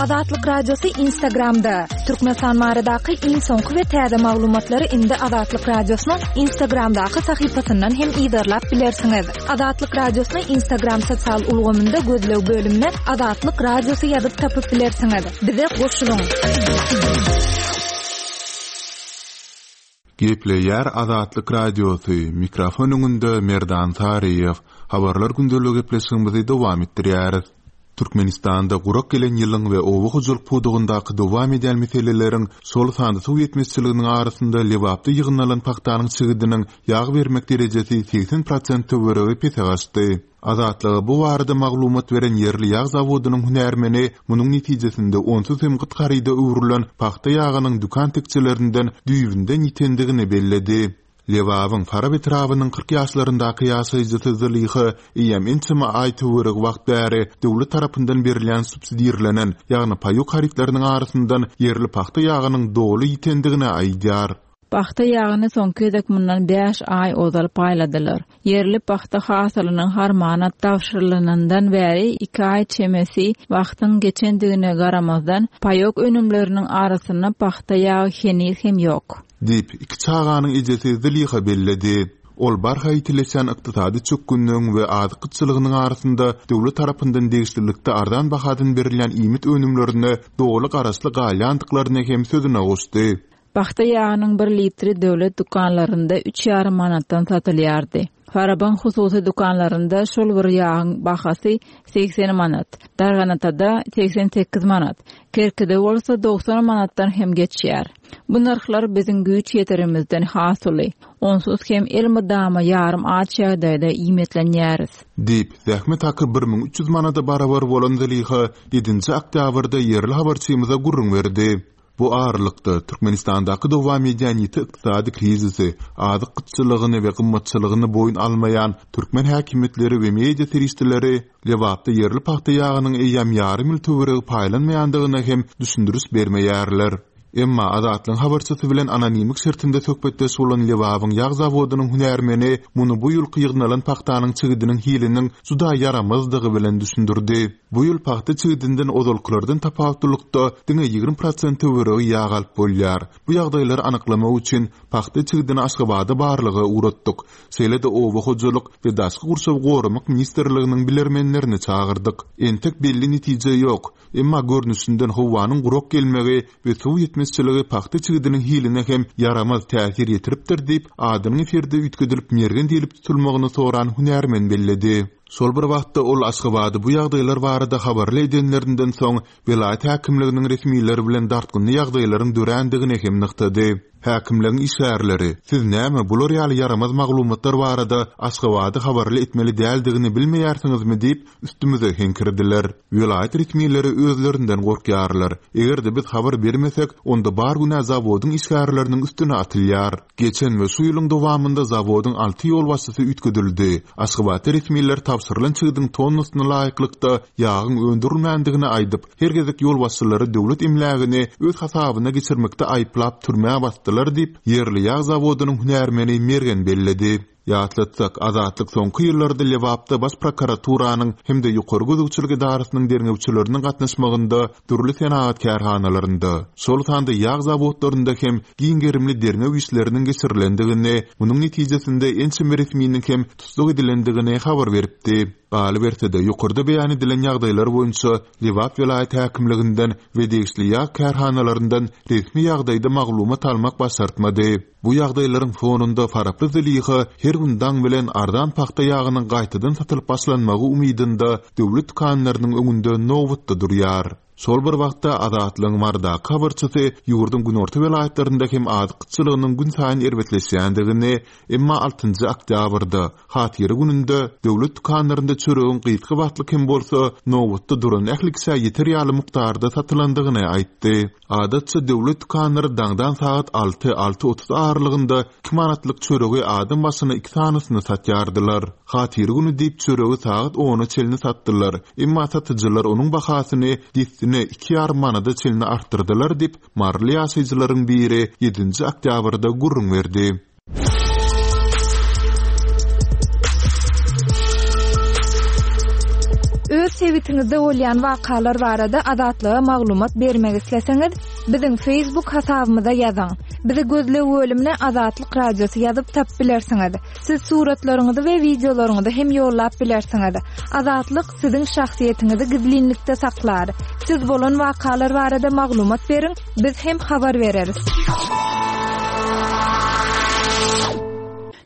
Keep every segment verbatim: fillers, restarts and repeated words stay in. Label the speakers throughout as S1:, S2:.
S1: Azatlyk Radiosy Instagramda. Türkmenistan baradaky iň soňky we täze maglumatlary indi Azatlyk Radiosynyň Instagramdaky sahypasyndan hem yzarlap bilersiňiz. Azatlyk Radiosyny Instagram sosial ulgamynda gözleg bölümine Azatlyk Radiosy ýazyp tapyp bilersiňiz. Bize goşulyň.
S2: Gepleýär Azatlyk Radiosy, mikrofon öňünde Merdan Saryýew. Habarlar gündeligi gepleşigimizi dowam etdirýäris. Türkmenistanda gurak gelen ýylyň we oba hojalyk pudagyndaky dowam edýän meseleleriň, şol sanda suw ýetmezçiliginiň arasynda Lebapda ýygnalan pagtanyň çigidiniň ýag bermek derejesi segsen prosent töweregi pese gaçdy. Azatlyga bu barada maglumat beren ýerli ýag zawodynyň hünärmeni munuň netijesinde onsuz hem gyt haryda öwrülen pagta ýagynyň dükan tekjelerinden düýbünden ýitendigini belledi. Lebabyň Farap etrabynyň kyrk ýaşlaryndaky ýaşaýjysy Zylyha eýýäm ençeme aý töweregi wagt bäri döwlet tarapyndan berilýän subsidirlenen, ýagny paýok harytlarynyň arasyndan ýerli pagta ýagynyň doly ýitendigini aýdýar.
S3: Pagta ýagyny soňky gezek mundan bäş aý ozal paýladylar. Ýerli pagta hasylynyň harmana tabşyrylandan bäri iki aý çemesi wagtyň geçendigine garamazdan paýok önümleriniň arasynda pagta ýagy heniz hem ýok.
S2: Diýip, iki çaganyň ejesi Zylyha belledi. Ol barha ýitileşen ykdysady çökgünligiň we azyk gytçylygynyň arasynda döwlet tarapyndan degişlilikde arzan bahadan berilýän iýmit önümlerine doly garaşly galýandyklaryny hem sözüne goşdy.
S3: Pagta ýagynyň bir litri döwlet dükanlarynda üç ýarym manatdan satylýardy. Farabyň hususy dükanlarynda şol bir ýagyň bahasy segsen manat, Darganatada segsen sekiz manat, Kerkide bolsa dogsan manatdan hem geçýär. Bu nyrhlar biziň güýç ýeterimizden has uly. Onsuz hem elmydama ýarym aç ýagdaýda iýmitlenýäris.
S2: Diýip, zähmet haky bir müň üç ýüz manada barabar bolan Zylyha ýedinji oktýabrda ýerli habarçymyza gürrüň berdi. Bu aralykda Türkmenistandaky dowam edýän ýiti ykdysady krizisi, azyk gytçylygyny we gymmatçylygyny boýun almaýan türkmen häkimiýetleri we media serişdeleri Lebapda ýerli pagta ýagynyň eýýäm ýarym ýyl töweregi paýlanmaýandygyna hem düşündiriş bermeýärler. Emma Azatlygyň habarçysy bilen anonimlik şertinde söhbetdeş bolan Lebabyň ýag zawodynyň hünärmeni muny bu ýylky ýygnalan pagtanyň çigidiniň hiliniň juda ýaramazdygy bilen düşündirdi. Bu ýyl pagta çigidinden ozalkylardan tapawutlylykda diňe ýigrimi prosent töweregi ýag alyp bolýar. Bu ýagdaýlary anyklamak üçin pagta çigidini Aşgabada barlyga ugratdyk. Şeýle-de oba hojalyk we daşky gurşawy goramak ministrliginiň bilermenlerini çagyrdyk. Entek belli netije ýok. Emma görnüşinden howanyň gurak gelmegi we suw ýetmezçiligi pagta çigidiniň hiline hem ýaramaz täsir ýetiripdir diýip, adynyň efirde üýtgedilip Mergen diýlip tutulmagyny soran hünärmen belledi. Şol bir wagtda ol Aşgabady bu ýagdaýlar barada habarly edenlerinden soň welaýat häkimliginiň resmileri bilen dartgynly ýagdaýlaryň dörändigini hem nygtady. Häkimligiň işgärleri, siz näme bular ýaly ýaramaz maglumatlar barada Aşgabady habarly etmeli däldigini bilmeýärsiňizmi diýip, üstümize heňkirdiler. Welaýat resmileri özlerinden gorkýarlar. Eger-de biz habar bermesek, onda bar günä zawodyň işgärleriniň üstüne atylýar. Geçen we şu ýylyň dowamynda zawodyň alty ýolbaşçysy üýtgedildi. Aşgabatda resmiler tabşyrylan çigdiň tonnasyna laýyklykda ýagyň öndürilmändigini aýdyp, her gezek ýolbaşçylary döwlet emlägini öz hasabyna geçirmekde aýyplap türmä basdylar diýip, ýerli ýag zawodynyň hünärmeni Mergen belledi. Ýatlatsak, Azatlyk soňky ýyllarda Lebapda baş prokuraturanyň hem-de ýokary gözegçilik edarasynyň derňewçileriniň gatnaşmagynda dürli senagat kärhanalarynda, şol sanda ýag zawodlarynda hem giň gerimli derňew işleriniň geçirilendigini, munuň netijesinde ençeme resminiň hem tussag edilendigini habar beripdi. Galyberse-de, ýokarda beýan edilen ýagdaýlar boýunça Lebap welaýat häkimliginden we degişli ýag kärhanalaryndan resmi ýagdaýda maglumat almak başartmady. Bu ýagdaýlaryň fonunda Faraply Zylyha her gün daň bilen arzan pagta ýagynyň gaýtadan satylyp başlanmagy umydynda döwlet dükanlarynyň öňünde nobatda durýar. Şol bir wagtda Azatlygyň Marydaky habarçysy ýurduň günorta welaýatlarynda hem azyk gytçylygynyň günsaýyn erbetleşýändigini, emma altynjy oktýabrda, Hatyra gününde döwlet dükanlarynda çöregiň gysga wagtlyk hem bolsa nobatda duran ähli kişä ýeter ýaly mukdarda satylandygyny aýtdy. Adatça döwlet dükanlary daňdan sagat alty, alty otuz aralygynda iki manatlyk çöregi adam başyna iki sanysyny satýardylar. Hatyra güni diýip çöregi sagat ona çenli satdylar, emma satyjylar onuň bahasyny dessine iki ýarym manada çenli artdyrdylar diýip, maryly ýaşaýjylaryň biri ýedinji oktýabrda gürrüň berdi.
S1: Öz Öz sebitiňizde bolýan wakalar barada Azatlyga maglumat bermek isleseňiz, biziň Facebook hasabymyza ýazyň. Bizi gözleg bölümine Azatlyk Radiosy ýazyp tapyp bilersiňiz. Siz suratlaryňyzy we wideolaryňyzy hem ýollap bilersiňiz. Azatlyk siziň şahsyýetiňizi gizlinlikde saklar. Siz bolan wakalar barada maglumat beriň, biz hem habar bereris.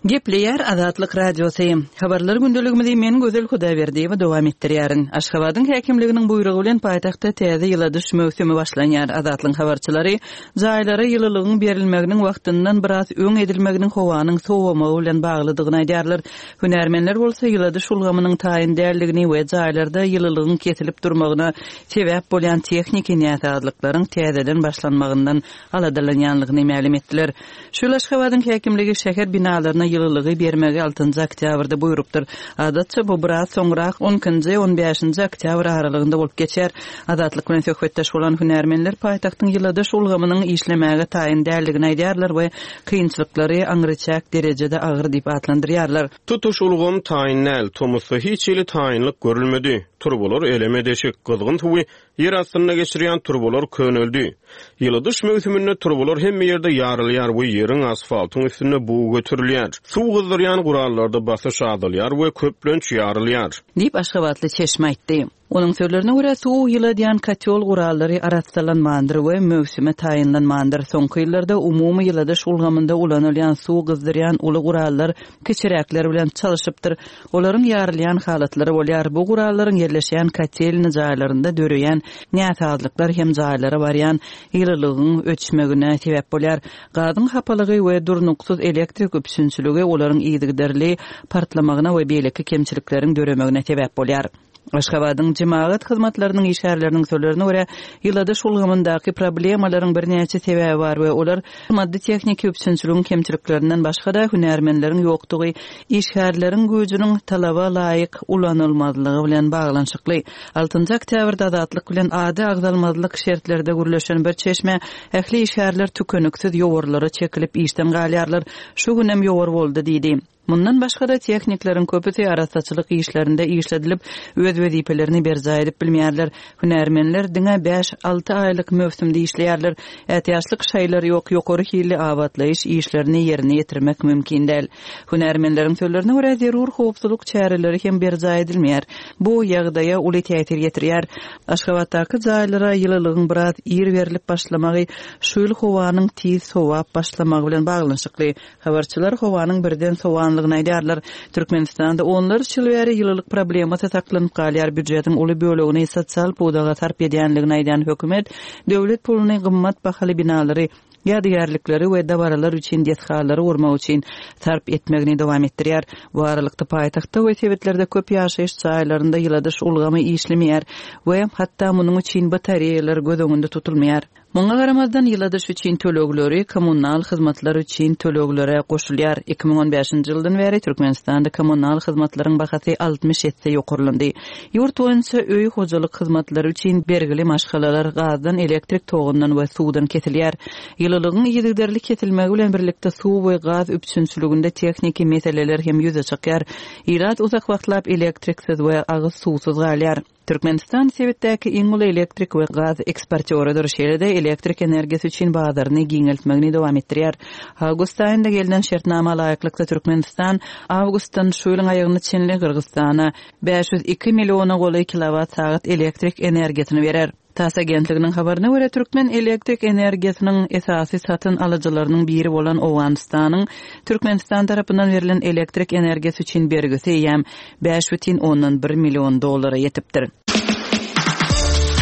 S4: Gepleýär Azatlyk Radiosy. Habarlar gündeligimizi men Gözel Hudaýberdiýewa dowam etdirýärin. Aşgabadyň häkimliginiň buýrugy bilen paýtagtda täze ýyladyş möwsümi başlanýar. Azatlyk habarçylary jaýlara ýylylygyň berilmeginiň wagtyndan biraz öň edilmeginiň howanyň sowamagy bilen baglydygyny aýdýarlar. Hünärmenler bolsa ýyladyş ulgamynyň taýyn däldigini we jaýlarda ýylylygyň kesilip durmagyna sebäp bolýan tehniki näsazlyklaryň täzeden başlanmagyndan aladalanýanlygyny mälim etdiler. Şu ýyl Aşgabadyň häkimligi şäher binalaryna ýylylygy bermegi altynjy oktýabrda buýrupdyr. Adatça bu biraz soňrak on ikinji, on bäşinji oktýabr aralygynda bolup geçer. Azatlyk bilen söhbetdeş bolan hünärmenler paýtagtyň ýyladyş ulgamynyň işlemäge taýyn däldigini aýdýarlar we kynçylyklary aňryçäk derejede agyr diýip atlandyrýarlar.
S5: Tutuş ulgam taýyn däl, tomusda hiç hili taýynlyk görülmedi. Turbalar eleme deşik, gyzgyn suwy ýer astynda geçirýän turbalar köneldi. Ýyladyş möwsüminde turbalar hemme ýerde ýarylýar we ýeriň asfaltyň üstünde bug göterilýär. Suw gyzdyrýan gurallarda basyş azalýar we köplenç ýarylýar.
S4: Diýip Aşgabatly çeşme aýtdy. Onuň sözlerine görä suw ýyladýan kotýol gurallary arassalanmandyr we möwsüme taýynlanmandyr. Soňky ýyllarda umumy ýyladyş ulgamynda ulanylýan suw gyzdyrýan uly gurallar kiçiräkler bilen çalyşypdyr. Olaryň ýarylýan halatlary bolýar. Bu gurallaryň ýerleşýän kotelny jaýlarynda döreýän näsazlyklar hem jaýlara barýan ýylylygyň öçmegine sebäp bolýar. Gazyň hapalygy we durnuksyz elektrik üpjünçiligi olaryň yzygiderli partlamagyna we beýleki kemçilikleriň döremegine sebäp bolýar. Aşgabadyň jemagat hyzmatlarynyň işgärleriniň sözlerine görä, ýyladyş ulgamyndaky problemalaryň birnäçe sebäbi bar we olar maddy tehniki üpjünçiligiň kemçiliklerinden başga-da hünärmenleriň ýokdugy, işgärleriň güýjüniň talaba laýyk ulanylmazlygy bilen baglanyşykly. Altynjy oktýabrda Azatlyk bilen ady agzalmazlyk şertlerde gürleşen bir çeşme ähli işgärler tükeniksiz ýowarlara çekilip işden galýarlar. Şu günem ýowar boldy diýdi. Mundan başga-da tehnikleriň köpüsi arassaçylyk işlerinde işledilip, öz wezipelerini berjaý edip bilmeýärler. Hünärmenler diňe bäş-alty aýlyk möwsümde işleýärler. Ätiýaçlyk şaýlar ýok, ýokary hilli abatlaýyş işlerini ýerine ýetirmek mümkin däl. Hünärmenleriň sözlerine görä zerur howpsuzlyk çäreleri hem berjaý edilmeýär. Bu ýagdaýa uly täsir ýetirýär. Aşgabatdaky jaýlara ýylylygyň biraz ir berilip başlamagy şu ýyl howanyň tiz sowap başlamagy bilen baglanyşykly. Habarçylar howanyň birden sowanlygyny aýdýarlar. Türkmenistanda onlarça ýyl bäri ýylylyk problemasy saklanyp galýar. Býujetiň uly bölegini sosial pudaga sarp edýänligini aýdan hökümet döwlet puluny gymmat bahaly binalary, ýadygärlikleri we dabaralar üçin desgalary gurmak üçin sarp etmegini dowam etdirýär. Bu aralykda paýtagtda we sebitlerde köp ýaşaýyş jaýlarynda ýyladyş ulgamy işlemeýär we hatda munuň üçin batareýalar göz öňünde tutulmaýar. Muňa garamazdan ýyladyş üçin tölegleri kommunal hyzmatlar üçin töleglere goşulýar. Iki müň on bäşinji ýyldan bäri Türkmenistanda kommunal hyzmatlaryň bahasy altmyş esse ýokarlandy. Ýurt boýunça öý hojalyk hyzmatlary üçin bergili maşgalalar gazdan, elektrik togundan we suwdan kesilýär. Ýylylygyň yzygiderli kesilmegi bilen birlikde suw we gaz üpjünçiliginde tehniki meseleler hem ýüze çykýar. Ilat uzak wagtlap elektriksiz we agyz suwsuz galýar. Türkmenistan sebitdäki iň uly elektrik we gaz eksportýorydyr. Şeýle-de elektrik energiýasy üçin bazaryny giňeltmegini dowam etdirýär. Awgust aýynda gelnen şertnama laýyklykda Türkmenistan awgustdan şu ýylyň aýagyna çenli Gyrgyzystana bäş ýüz iki milliona golaý kilowat sagat elektrik energiýasyny berer. TASS agentliginiň habaryna görä Türkmen elektrik energiýasynyň esasy satyn alyjylarynyň biri bolan Owganystanyň Türkmenistan tarapyndan berlen elektrik energiýasy üçin bergisi eýýäm bäş bütin ondan bir million dollara ýetipdir.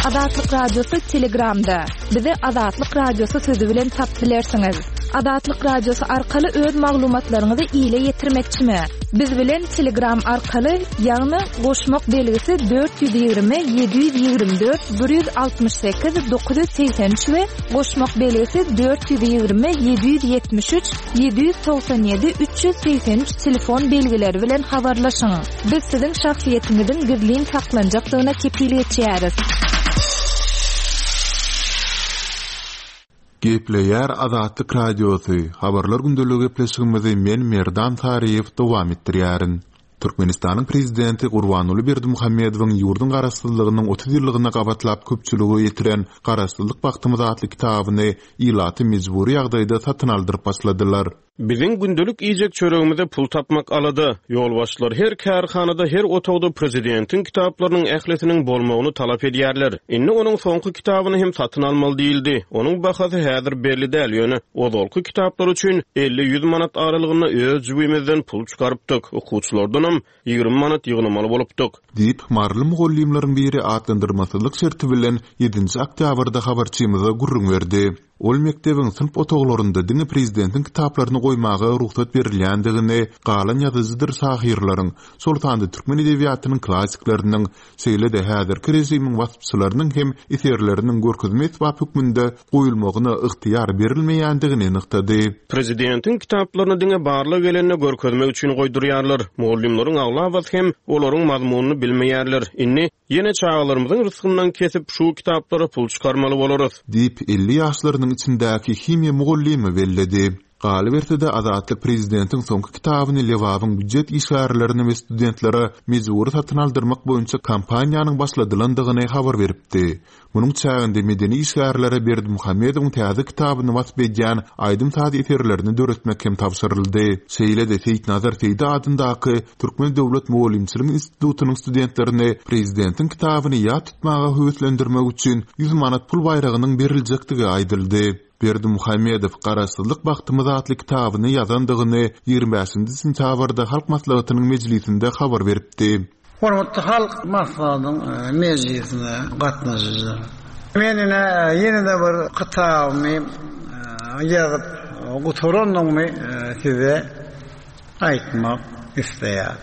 S1: Azatlyk Radiosy Telegramda. Bizi Azatlyk Radiosy sözü bilen tap bilersiňiz. Azatlyk Radiosy arkaly öz maglumatlaryňyzy ile ýetirmekçimi? Biz bilen Telegram arkaly, ýagny goşmak belgisi dört ýüz ýigrimi, ýedi ýüz ýigrimi dört, bir ýüz altmyş sekiz, dokuz ýüz segsen üç we goşmak belgisi dört ýüz ýigrimi, ýedi ýüz ýetmiş üç, ýedi ýüz togsan ýedi, üç ýüz segsen üç telefon belgileri bilen habarlaşyň. Biz siziň şahsyýetiňiziň gizlin saklanjakdygyna kepil geçýäris.
S2: Gepleýär Azatlyk Radiosy. Habarlar gündeligi gepleşigimizi men Merdan Saryýew dowam etdirýärin. Türkmenistanyň prezidenti Gurbanguly Berdimuhamedowyň ýurduň garaşsyzlygynyň otuz ýyllygyna gabatlap köpçülige ýetiren Garaşsyzlyk bagtymyz atly kitabyny ilaty mejbury ýagdaýda satyn aldyryp başladylar.
S5: Biziň gündelik iýjek çöregimize pul tapmak alada. Ýolbaşçylar her kärhanada, her otagda prezidentiň kitaplarynyň ählisiniň bolmagyny talap edýärler. Indi onuň soňky kitabyny hem satyn almaly diýildi. Onuň bahasy häzir belli däl, ýöne ozalky kitaplar üçin elli-ýüz manat aralygynda öz jübimizden pul çykarypdyk. Okuwçylardanam ýigrimi manat ýygnamaly bolupdyk.
S2: Diýip, maryly mugallymlaryň biri atlandyrmasyzlyk şerti bilen ýedinji oktýabrda habarçymyza gürrüň berdi. Ol mekdebiň synp otaglarynda diňe prezidentiň kitaplaryny goýmaga rugsat berilýändigini, galan ýazyjydyr şahyrlaryň, şol sanda türkmen edebiýatynyň klassikleriniň, şeýle-de häzirki režimiň waspçylarynyň hem eserleriniň görkezme esbap hökmünde goýulmagyna ygtyýar berilmeýändigini nygtady.
S5: Prezidentiň kitaplaryny diňe barlyk gelende görkezmek üçin goýdurýarlar. Mugallymlaryň aglabasy hem olaryň mazmunyny bilmeýärler. Indi ýene çagalarymyzyň rysgyndan kesip şu kitaplara pul çykarmaly bolarys.
S2: Diýip, elli ýaşlarynyň içindäki himiýa mugallymy belledi. Galyberse-de Azatlyk prezidentiň soňky kitabyny Lebabyň býujet işgärlerine we studentlere mejbury satyn aldyrmak boýunça kampaniýanyň başladylandygyny habar beripdi. Munuň çäginde medeni işgärlere Berdimuhamedowyň täze kitabyny wasp edýän aýdym-saz eserlerini döretmek hem tabşyryldy. Şeýle-de Seýitnazar Seýdi adyndaky Türkmen döwlet mugallymçylyk institutynyň studentlerini prezidentiň kitabyny ýat tutmaga höweslendirmek üçin ýüz manat pul baýragynyň beriljekdigi aýdyldy. Berdimuhamedow Garaşsyzlyk bagtymyz atly kitabyny ýazandygyny ýigrimi bäşinji sentýabrda Halk Maslahatynyň mejlisinde habar beripdi.
S6: Hormatly Halk Maslahatynyň mejlisine gatnaşyjylar. Men ine ýene-de bir kitabymy ýazyp gutarandygymy size aýtmak isleýär.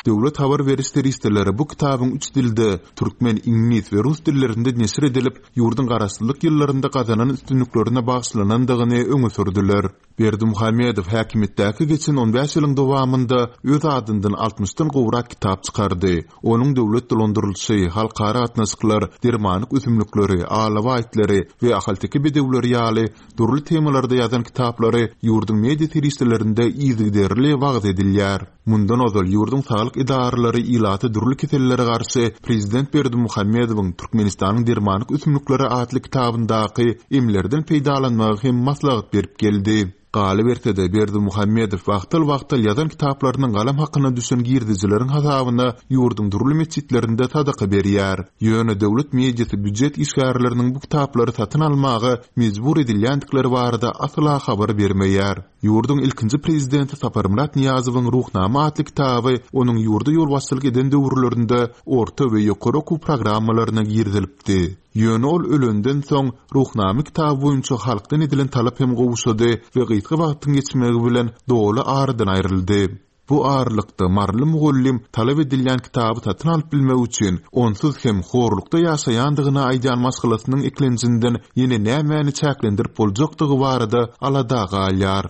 S2: Döwlet habar beriş serişdeleri bu kitabyň üç dilde, türkmen, iňlis we rus dillerinde neşir edilip, ýurduň garaşsyzlyk ýyllarynda gazanan üstünliklerine bagyşlanandygyny öňe sürdüler. Berdimuhamedow häkimiýetdäki geçen on bäş ýylyň dowamynda öz adyndan altmyşdan gowrak kitap çykardy. Onuň döwlet dolandyrylyşy, halkara gatnaşyklar, dermanlyk ösümlikleri, alawa aýtlary we ahalteke bedewleri ýaly dürli temalarda ýazan kitaplary ýurduň media serişdelerinde yzygiderli wagyz edilýär. Mundan ozal ýurduň saglyk edaralary ilaty dürli kesellere garşy Prezident Berdimuhamedowyň Türkmenistanyň dermanlyk ösümlikleri atly kitabyndaky emlerden peýdalanmagy hem maslahat berip geldi. Galyberse-de Berdimuhamedow wagtal-wagtal ýazan kitaplarynyň galam hakyna düşen girdejileriň hasabyna ýurduň dürli metjitlerinde sadaka berýär. Ýöne döwlet mediasy býujet işgärleriniň bu kitaplary satyn almaga mejbur edilýändikleri barada asla habar bermeýär. Ýurduň ilkinji prezidenti Saparmyrat Nyýazowyň Ruhnama atly kitaby onuň ýurda ýolbaşçylyk eden döwürlerinde orta we ýokary okuw programmalaryna girizilipdi. Ýöne ol ölenden soň Ruhnama kitaby boýunça halkdan edilen talap hem gowşady we gysga wagtyň geçmegi bilen doly aradan aýryldy. Bu aralykda maryly mugallym talap edilýän kitaby satyn alyp bilmek üçin onsuz hem horlukda ýaşaýandygyny aýdýan maşgalasynyň eklenjinden ýene nämäni çäklendirip boljakdygy barada alada galýar.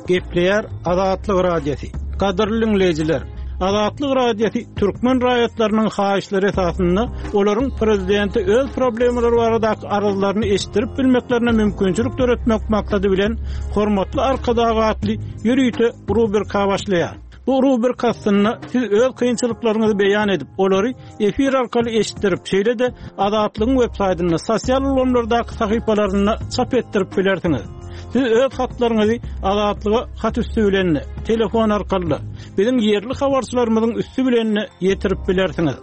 S7: Gepleýär Azatlyk Radiosy. Gadyrly dinleýjiler, Azatlyk Radiosy türkmen raýatlarynyň haýyşlary esasynda olaryň prezidenti öz problemalary baradaky arzlaryny eşitdirip bilmeklerine mümkinçilik döretmek maksady bilen Hormatly Arkadag atly ýörite rubrika başlaýar. Bu rubrika astynda siz öz kynçylyklaryňyzy beýan edip, olary efir arkaly eşitdirip, şeýle-de Azatlygyň web saýtynda, sosial ulgamlardaky sahypalarynda çap etdirip bilersiňiz. Siz öz hatlaryňyzy Azatlyga hat üstü bilen, telefon arkaly, biziň ýerli habarçylarymyzyň üstü bilen ýetirip bilersiňiz.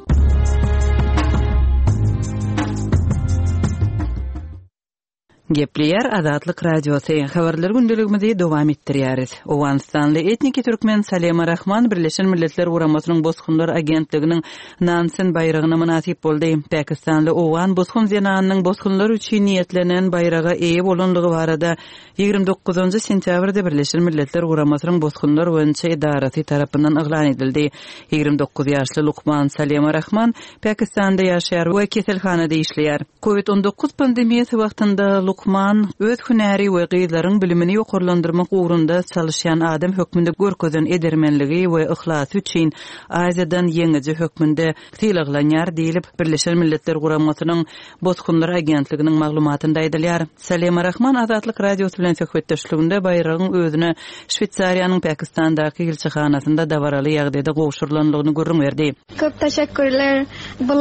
S4: Gepleýär Azatlyk Radiosy. Habarlar gündeligimizi dowam etdirýäris. Owganystanly etniki türkmen Salema Rahman Birleşen Milletler Guramasynyň Bosgunlar Agentliginiň Nansen baýragyna mynasyp boldy. Pakistanly owgan bosgun zenanynyň bosgunlar üçin niýetlenen baýraga eýe bolanlygy barada ýigrimi dokuzynjy sentýabrda Birleşen Milletler Guramasynyň Bosgunlar boýunça edarasy tarapyndan yglan edildi. Ýigrimi dokuz ýaşly lukman Salema Rahman Pakistanda ýaşaýar we keselhanada işleýär. Covid on dokuz pandemiýasy wagtynda Lukman öz hünäri we gyzlaryň bilimini ýokarlandyrmak ugrunda çalışýan adam hökmünde görkezen edermenligi we yhlasy üçin Aziýadan ýeňiji hökmünde sylaglanýar diýlip Birleşen Milletler Guramasynyň Bosgunlar agentliginiň maglumatynda aýdylýar. Salema Rahman Azatlyk Radiosy bilen söhbetdeşliginde baýragyň özüne Şweýsariýanyň Pakistandaky ilçihanasynda dabaraly ýagdaýda gowşurylandygyny gürrüň berdi.
S8: Köp teşekkürler. Bu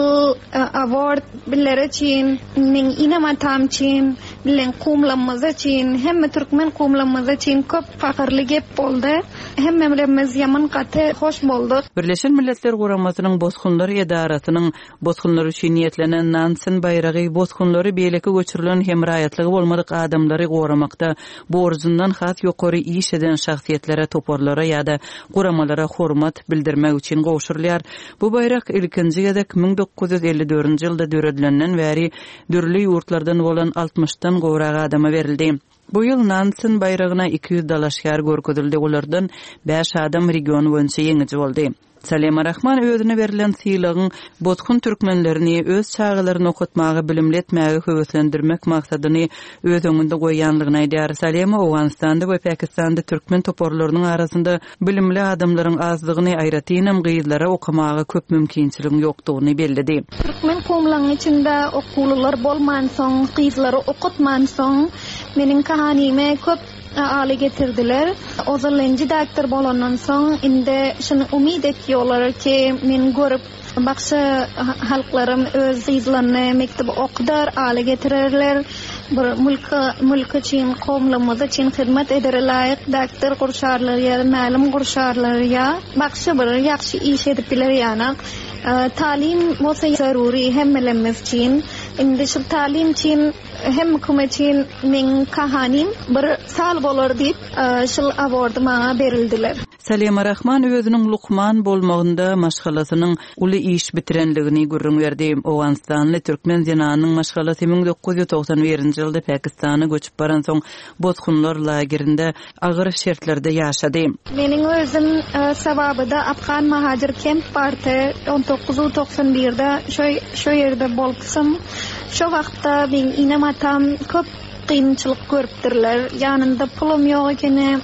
S8: award biller üçin, meň inem-atam üçin, bilen kumlamyz üçin, hemme türkmen kumlamyz üçin köp fahyrly gep boldy. Hemmelerimiz ýaman gaty hoş bolduk.
S4: Birleşen Milletler Guramasynyň Bosgunlar edarasynyň bosgunlar üçin niýetlenen Nansen baýragy bosgunlary beýleki göçürilen hem raýatlygy bolmadyk adamlary goramakda borjundan has ýokary iş eden şahsyýetlere, toparlara ýa-da guramalara hormat bildirmek üçin gowşurylýar. Bu baýrak ilkinji gezek müň dokuz ýüz elli dördünji ýylda döredilenden bäri dürli ýurtlardan bolan altmyşdan gowrak adama berildi. Bu ýyl Nansen baýragyna iki ýüz dalaşgär görkezildi. Olardan bäş adam region boýunça ýeňiji boldy. Salema Rahman özüne berlen sylagyň bosgun türkmenlerini öz çagalaryny okatmaga, bilimli etmäge höweslendirmek maksadyny öz öňünde goýýanlygyny aýdýar. Salema Owganystanda we Pakistanda türkmen toparlarynyň arasynda bilimli adamlaryň azdygyny, aýratynam gyzlara okamaga köp mümkinçiligiň ýokdugyny belledi.
S8: Türkmen kumlaryň içinde okuwlylar bolmansoň, gyzlary okatmansoň, meniň kahanime köp aly getirdiler. Ozalynjy doktor bolandan soň indi şunu umyt etýärler ki men görüp baksa halklarym öz gyzlaryny mekdebe okudar, aly getirerler. Bir mülk, mülk üçin, kowumlarymyz üçin hyzmat edere laýyk doktor gurşarlar ýa mälim gurşarlar ýa baksa bir ýagşy iş edip biler ýanak. E, talim bolsa zaruri hemmelerimiz üçin. Indi şu talim üçin hem hükümet üçin meň kahanim bir sal bolar diýip, e, şul awardy maňa berildiler.
S4: Salema Rahman özüniň lukman bolmagynda maşgalasynyň uly iş bitirenligini gürrüň berdi. Owganystanly türkmen zenanynyň maşgalasy müň dokuz ýüz togsan birinji ýylda Pakistana göçüp baransoň bosgunlar lagerinde agyr şertlerde ýaşady.
S8: Meniň özüm, e, Sawabyda Afgan Mahajir Kemp bardy. on dokuz ýüz togsan birde şo, şo ýerde bolupsym. Şo wagtda meň inem atam köp kynçylyk görüpdirler. Ýanynda pulum ýok ekeni,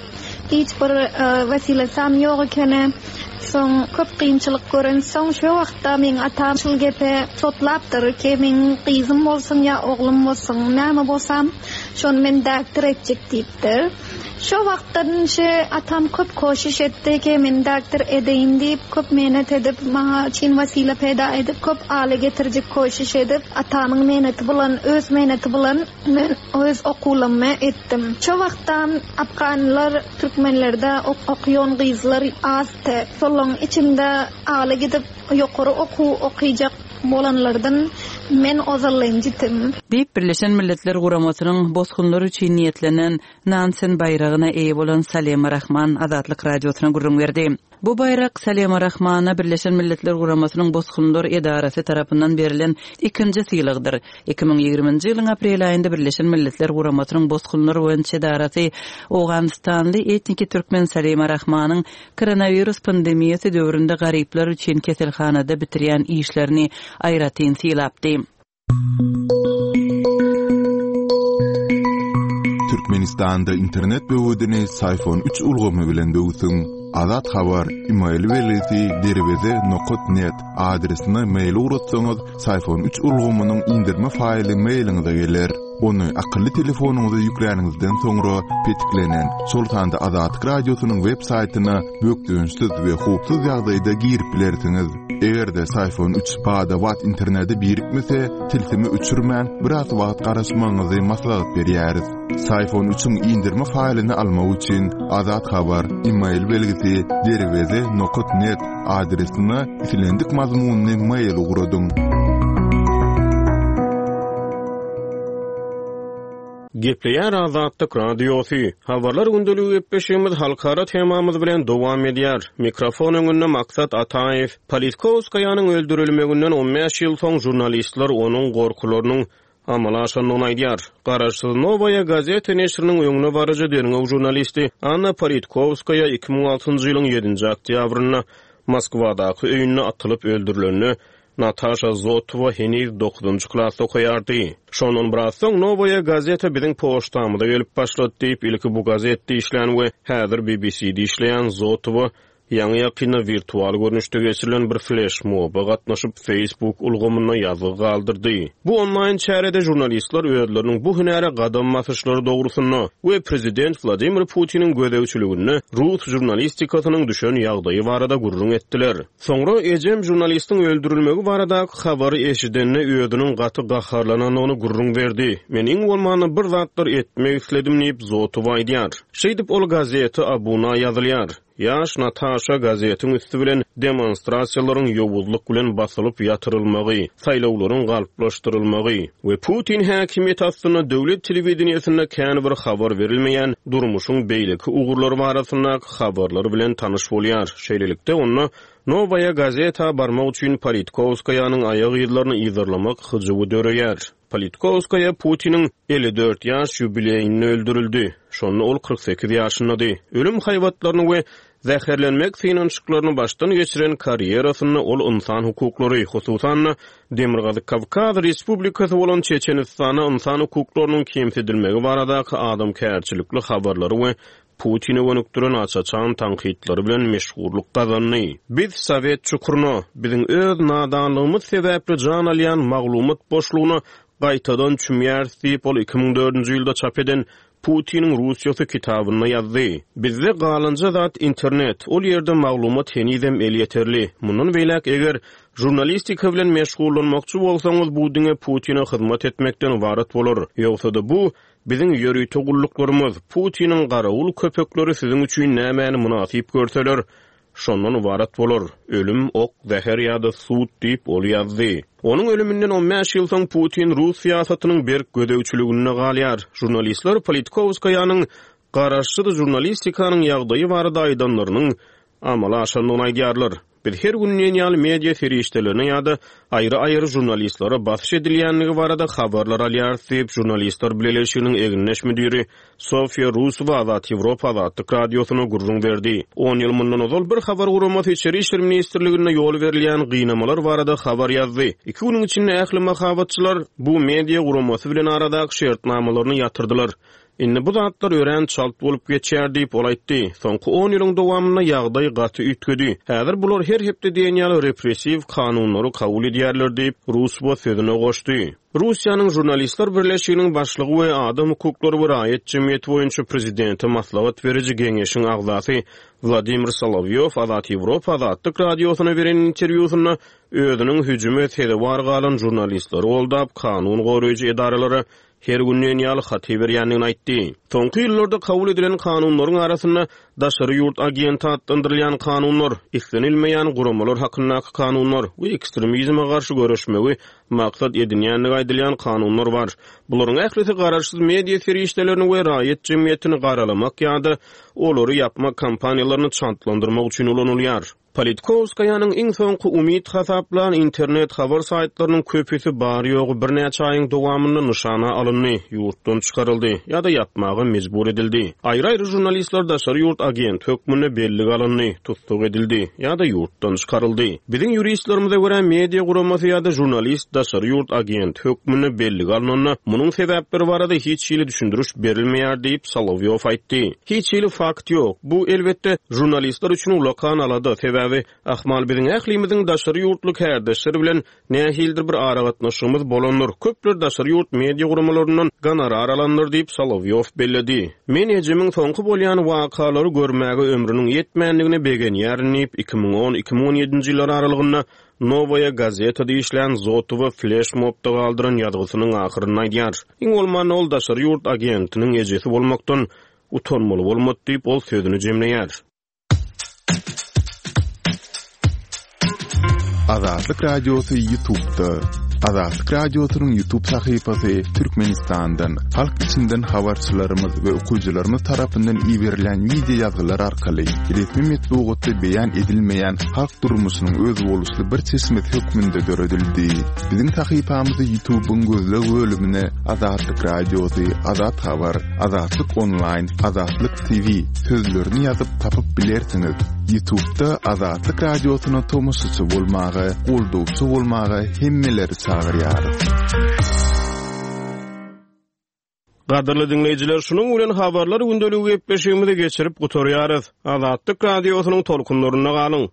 S8: hiç bir, e, wesilesam ýok ekeni. Soň köp kynçylyk gören soň şo wagtda meň atam şul gepe sotlapdyr ki meň gyzym bolsun ýa oglum bolsun, näme bolsam şony men doktor etjek diýipdir. Şo wagtdan şe atam köp koşiş etdi ki men doktor edeýin diýip, köp mehnat edip, maňa çyn wesile peýda edip, köp aly getirjek koşiş edip, atamyň mehnati bilen, öz mehnati bilen men öz okuwlarymy etdim. Şo wagtdan afganlar türkmenlerde ok-, okuýan gyzlar azdy. Şolaryň içinde aly gidip ýokary okuw okuyjak bolanlardan men ozalynjytym.
S4: Diýip Birleşen Milletler Guramasynyň bosgunlar üçin niýetlenen Nansen baýragyna eýe bolan Salema Rahman Azatlyk Radiosyna gürrüň berdi. Bu baýrak Salema Rahmana Birleşen Milletler Guramasynyň bosgunlar edarasy tarapyndan berlen ikinji sylagdyr. Iki müň ýigriminji ýylyň aprel aýynda Birleşen Milletler Guramasynyň bosgunlar boýunça edarasy Owganystanly etniki türkmen Salema Rahmanyň koronawirus pandemiýasy döwründe garyplar üçin keselhanada bitirýän işlerini aýratyn sylapdy.
S2: Türkmenistanda internet böwedini Syfon üç ulgamy bilen böwsüň. Azat Habar, e-mail belgisi derweze nokta net adresine mail ugratsaňyz, Syfon üç ulgamynyň indirme faýly mailiňize geler. Ony akylly telefonyňyza ýükläniňizden soňra petiklenen, şol sanda Azatlyk Radiosynyň web saýtyna bökdençsiz we howpsuz ýagdaýda girip bilersiňiz. Eger-de Syfon üç bada-bat internete birikmese, tilsimi öçürmän biraz wagt garaşmagyňyzy maslahat berýäris. Syfon üçiň indirme faýlyny almak üçin Azat Habar, e-mail belgisi derweze nokta net adresine islendik mazmunyny mail ugradyň.
S5: Gepleýär Azatlyk Radiosy. Habarlar gündeligi gepleşigimiz halkara temamyz bilen dowam edýär. Mikrofon öňünde Maksat Ataýew. Politkovskaýanyň öldürilmeginden on bäş ýyl soň jurnalistler onuň gorkularynyň amala aşandygyny aýdýar. Garaşsyz Nowaýa gazeti neşiriniň öňüne baryjy derňew jurnalisti Anna Politkovskaýa iki müň altynjy ýylyň ýedinji oktýabrynda Moskwadaky öýünde atylyp öldürilende Nataşa Zotowa heniz dokuzunjy klasda okaýardy. Şondan biraz soň Nowaýa gazeta biziň poçtamyza gelip başlady diýip, ilki bu gazetde işlän we häzir B B C'de işleýän Zotowa ýaňy ýakynda wirtual görnüşde geçirilen bir fleşmoba gatnaşyp Facebook ulgamynda ýazgy galdyrdy. Bu onlaýn çärede žurnalistler özleriniň bu hünäre gadam basyşlary dogrusynda we prezident Wladimir Putiniň gözegçiliginde rus žurnalistikasynyň düşen ýagdaýy barada gürrüň etdiler. Soňra ejem žurnalistiň öldürilmegi baradaky habary eşidende özüniň gaty gaharlanandygyny gürrüň berdi. Men iň bolmanda bir zatlar etmek isledim diýip Zotowa aýdýar. Şeýdip ol gazete abuna ýazylýar. Ýaş Nataşa gazetiň üstü bilen demonstrasiýalaryň ýowuzlyk bilen basylyp ýatyrylmagy, saýlawlaryň galplaşdyrylmagy we Putin häkimiýeti astynda döwlet telewideniýesinde kän bir habar berilmeýän durmuşyň beýleki ugurlary barasyndaky habarlar bilen tanyş bolýar. Şeýlelikde onda Nowaýa gazeta barmak üçin Politkovskaýanyň aýak yzlaryny yzarlamak hyjuwy döreýär. Politkovskaya Putiniň elli dört ýaş ýubileýinde öldürildi. Şonda ol kyrk sekiz ýaşyndady. Ölüm haýbatlaryny we zäherlenmek synanyşyklaryny başdan geçiren karýerasynda ol insan hukuklary, hususan-da Demirgazyk Kawkaz Respublikasy bolan Çeçenistana insan hukuklarynyň kemsidilmegi baradaky adamkärçilikli habarlary we Putine gönükdiren aç-açan tankytlary bilen meşhurlyk gazandy. Biz Sowet çukuruna, biziň öz nadanlygymyz sebäpli jan alýan maglumat boşlugyna gaýtadan çümýäris diýip ol iki müň dördünji ýylda çap eden Putiniň Russiýasy kitabynda ýazdy. Bizde galynja zat internet, ol ýerde maglumat henizem elýeterli. Mundan beýläk eger žurnalistika bilen meşgullanmakçy bolsaňyz, bu diňe Putine hyzmat etmekden ibarat bolar. Ýogsa-da bu biziň ýörite gulluklarymyz, Putiniň garawul köpekleri siziň üçin nämäni mynasyp görseler, şondan ibarat bolar. Ölüm, ok, zäher ýa-da sud diýip ol ýazdy. Onuň ölüminden on bäş ýyl soň Putin rus syýasatynyň berk gözegçiliginde galýar. Žurnalistler Politkovskaýanyň garaşsyz žurnalistikanyň ýagdaýy barada aýdanlarynyň amala aşandygyny aýdýarlar. Biz her gün diýen ýaly media serişdelerine ýa-da aýry-aýry žurnalistlere basyş edilýänligi barada habarlar alýarys diýip Žurnalistler Bileleşiginiň egindeş müdiri Sofiýa Rusowa Azat Ýewropa Azatlyk Radiosyna gürrüň berdi. On ýyl mundan ozal bir habar guramasy Içeri İşler Ministrliginde ýol berilýän gynamalar barada habar ýazdy. Iki günüň içinde ähli mahabatçylar bu media guramasy bilen aradaky şertnamalaryny ýatyrdylar. Indi bu zatlar örän çalt bolup geçýär diýip ol aýtdy. Soňky on ýylyň dowamynda ýagdaý gaty üýtgedi. Häzir bular her hepde diýen ýaly repressiw kanunlary kabul edýärler diýip Rusowa sözüne goşdy. Russiýanyň Žurnalistler Birleşiginiň başlygy we adam hukuklary we raýat jemgyýeti boýunça prezidente maslahat beriji geňeşiň agzasy Wladimir Solowýow Azat Ýewropa Azatlyk Radiosyna beren interwýusynda özüniň hüjüme sezewar galan žurnalistleri goldap kanun goraýjy edaralara her gün diýen ýaly hat berýändigini aýtdy. Soňky ýyllarda kabul edilen kanunlaryň arasynda daşary ýurt agenti atlandyrylýan kanunlar, islenilmeýän guramalar hakyndaky kanunlar we ekstremizme garşy göreşmegi maksat edinýändigi aýdylýan kanunlar bar. Bularyň ählisi garaşsyz media serişdelerini we raýat jemgyýetini garalamak ýa-da olary ýapmak kampaniýalaryny çantlandyrmak üçin ulanylýar. Politkovskaýanyň iň soňky umyt hasaplan internet habar saýtlarynyň köpüsi bar ýogy birnäçe aýyň dowamynda nyşana alyndy, ýurtdan çykaryldy ýa-da ýapmaga mejbur edildi. Aýry-aýry žurnalistler daşary ýurt agent hökmünde bellige alyndy, tussag edildi ýa-da ýurtdan çykaryldy. Biziň ýuristlerimize görä media guramasy ýa-da žurnalist daşary ýurt agent hökmünde bellige alynanda munuň sebäpleri barada hiç hili düşündiriş berilmeýär diýip Solowýow aýtdy. Hiç hili fakt ýok. Bu elbetde žurnalistler üçin ulakan alada, sebäbi ahmal biziň ählimiziň daşary ýurtly kärdeşler bilen nähilidir bir aragatnaşygymyz bolandyr. Köpler daşary ýurt media guramalaryndan gonorar alandyr diýip Solowýow belledi. Men ejemiň soňky bolýan wakalary görmäge ömrüniň ýetmändigine begenýärin diýip iki müň on iki müň on ýedinji ýyllar aralygynda Nowaýa gazetada işlän Zotowa fleşmobda galdyran ýazgysynyň ahyrynda aýdýar. Iň bolmanda ol daşary ýurt agentiniň ejesi bolmakdan utanmaly bolmady diýip ol sözüni jemleýär.
S2: Azatlyk Radiosy YouTube'da. Azatlyk Radiosynyň YouTube sahypasy Türkmenistandan, halk içinden habarçylarymyz we okyjylarymyz tarapyndan iberilen video ýazgylar arkaly resmi metbugatda beýan edilmeýän halk durmuşynyň özboluşly bir çeşmesi hökmünde döredildi. Biziň sahypamyzy YouTube'yň gözleg bölümine Azatlyk Radiosy, Azat Habar, Azatlyk Online, Azatlyk T V sözlerini ýazyp tapyp bilersiňiz. YouTube'da Azatlyk Radiosyna tomaşaçy bolmaga, goldawçy bolmaga hemmeleri çagyrýarys.
S5: Gadyrly diňleýjiler, şunuň bilen habarlar gündeligi gepleşigimizi geçirip gutarýarys. Azatlyk Radiosynyň tolkunlarynda galyň.